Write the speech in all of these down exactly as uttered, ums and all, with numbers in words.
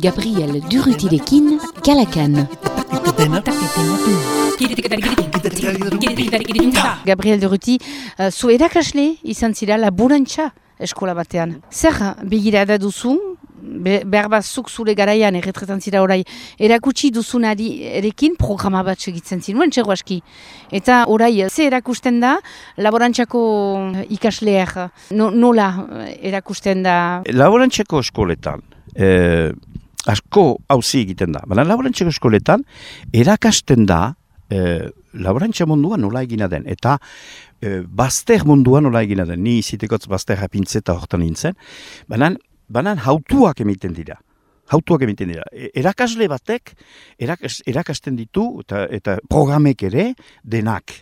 Gabriel Durrutirekin, Kalakan. Gabriel Durruti, uh, zu erakasle izan zira laborantza eskola batean. Zer begirada duzu, be, behar bat zuk zure garaian erretretan zira orai, erakutsi duzunari erekin programa bat segitzen zinuen, txego aski. Eta orai, ze erakusten da laborantzako ikasleak, no, nola erakusten da? Laborantzako eskoletan, eh, asko hauzi egiten da. Baina laborantzako eskoletan, erakasten da eh, laborantza munduan nola egina den. Eta eh, bazter munduan nola egina den. Ni zitekotz bazter apintzeta hortan nintzen. Baina banan hautuak emiten dira. Hautuak emiten dira. E, erakasle batek erakas, erakasten ditu eta, eta programek ere denak.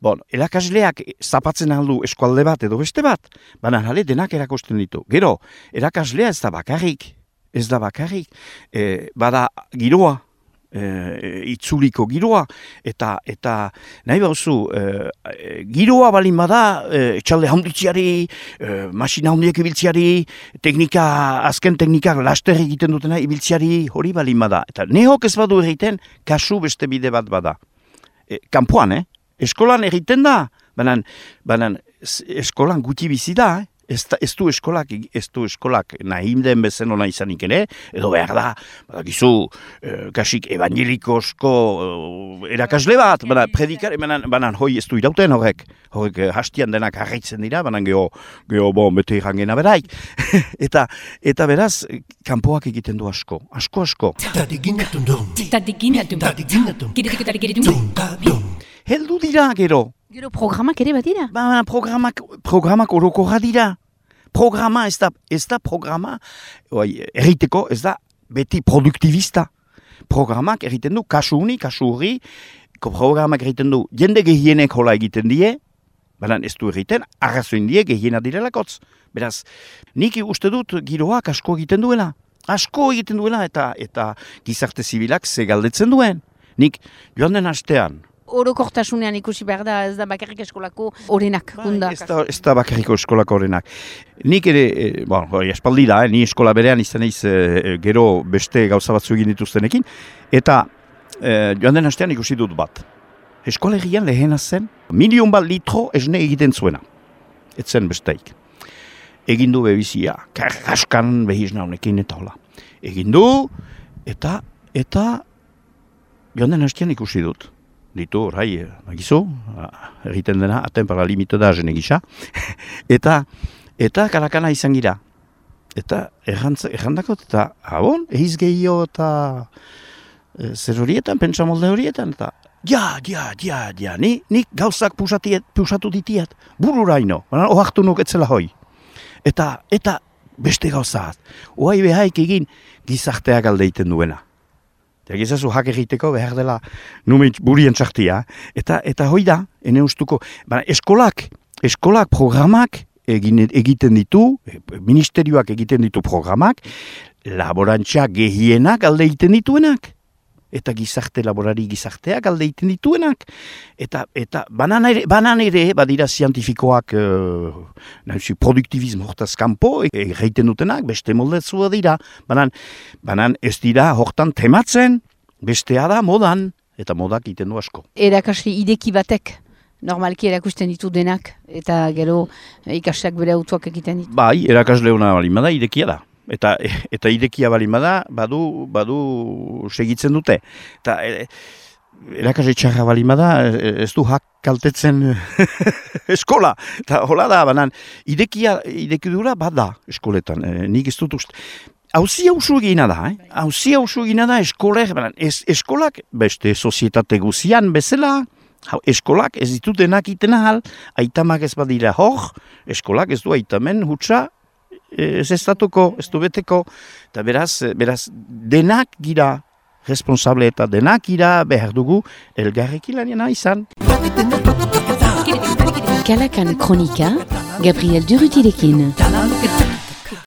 Bon, erakasleak zapatzen aldu eskualde bat edo beste bat, baina hale denak erakusten ditu. Gero, erakaslea ez da bakarrik. Ez da bakarrik, e, bada giroa, e, itzuliko giroa, eta eta nahi bauzu, e, giroa balin bada, e, etxalde handitziari, e, masina handiek ibiltziari, teknika, azken teknikak laster egiten dutena ibiltziari hori balin bada. Eta nehok ez badu egiten, kasu beste bide bat bada. E, kanpoan, eh? Eskolan egiten da, banan, banan eskolan guti bizi da, eh? Ez, ez du eskolak, ez du eskolak nahi den bezen hona izanik ere, edo behar da, badakizu, eh, kasik evangelikosko eh, erakasle bat, bana, predikare, banan, banan hoi ez du irauten horrek, horrek eh, hastian denak harritzen dira, banan geho, geho bon, bete irangena beraik. eta, eta beraz, kanpoak egiten du asko, asko asko. Heldu dira gero. Gero programak ere bat dira? Ba, programak, programak orokorra dira. Programa ez da, ez da programa, oi, erriteko ez da beti produktivista. Programak erriten du, kasu uni, kasu hori, programak erriten du, jende gehienek hola egiten die, baina ez du erriten, arrazoin die gehiena direlakotz. Beraz, nik uste dut giroak asko egiten duela. Asko egiten duela eta eta gizarte zibilak ze galdetzen duen. Nik joan den astean, orokortasunean ikusi behar da, ez da bakarrik eskolako orenak. Ba, ez, da, ez da bakarriko eskolako orenak. Nik ere, e, bon, espaldi da, eh, ni eskola berean izan eiz e, gero beste gauza batzu egin dituztenekin, eta e, joan den astean ikusi dut bat. Eskola egian lehena zen, milion bat litro esne egiten zuena. Ez zen besteik. Egin du bebizia, karraskan behizna honekin eta hola. Egin du, eta, eta joan den astean ikusi dut. Ditu, orai, bagizu, egiten dena, atenpara limito da jene gisa. eta, eta karakana izan gira. Eta errandakot, eta, abon, ehiz gehiago eta e, zer horietan, pentsamolde horietan, eta, ja, ja, ja, ja, ni, ni gauzak pusatiet, pusatu ditiat, bururaino, ohartu nuk etzela hoi. Eta, eta beste gauzat, oai behaik egin gizarteak aldeiten duena. Eta gizazu hak egiteko behar dela numeit burien txartia. Eta, eta hoi da, ene ustuko, baina eskolak, eskolak programak egin, egiten ditu, ministerioak egiten ditu programak, laborantza gehienak alde egiten dituenak. Eta gizarte laborari gizarteak alde egiten dituenak. Eta, eta banan ere, banan ere badira zientifikoak uh, nahi, produktivismo hortaz kanpo egiten dutenak, beste moldetzua dira. Banan, banan ez dira hortan tematzen, bestea da modan, eta modak egiten du asko. Erakasle ideki batek, normalki erakusten ditu denak, eta gero ikasleak bere autuak egiten ditu. Bai, erakasle hona balimada idekia da. Eta, eta idekia balimada badu, badu segitzen dute. Eta e, erakasle txarra balimada ez du hak kaltetzen eskola. Eta hola da, banan, idekia, idekidura bada eskoletan. E, nik ez dut uste. Hauzi hausu egina da, eh? Hauzi hausu egina da eskolek, banan, ez, eskolak beste sozietate guzian bezala, eskolak ez ditut denak iten ahal, aitamak ez badira hor, eskolak ez du aitamen hutsa, ez estatuko, ez du beteko, eta beraz, beraz, denak gira responsable eta denak gira behar dugu elgarrekin lanena izan. Kalakan Kronika, Gabriel Durrutirekin.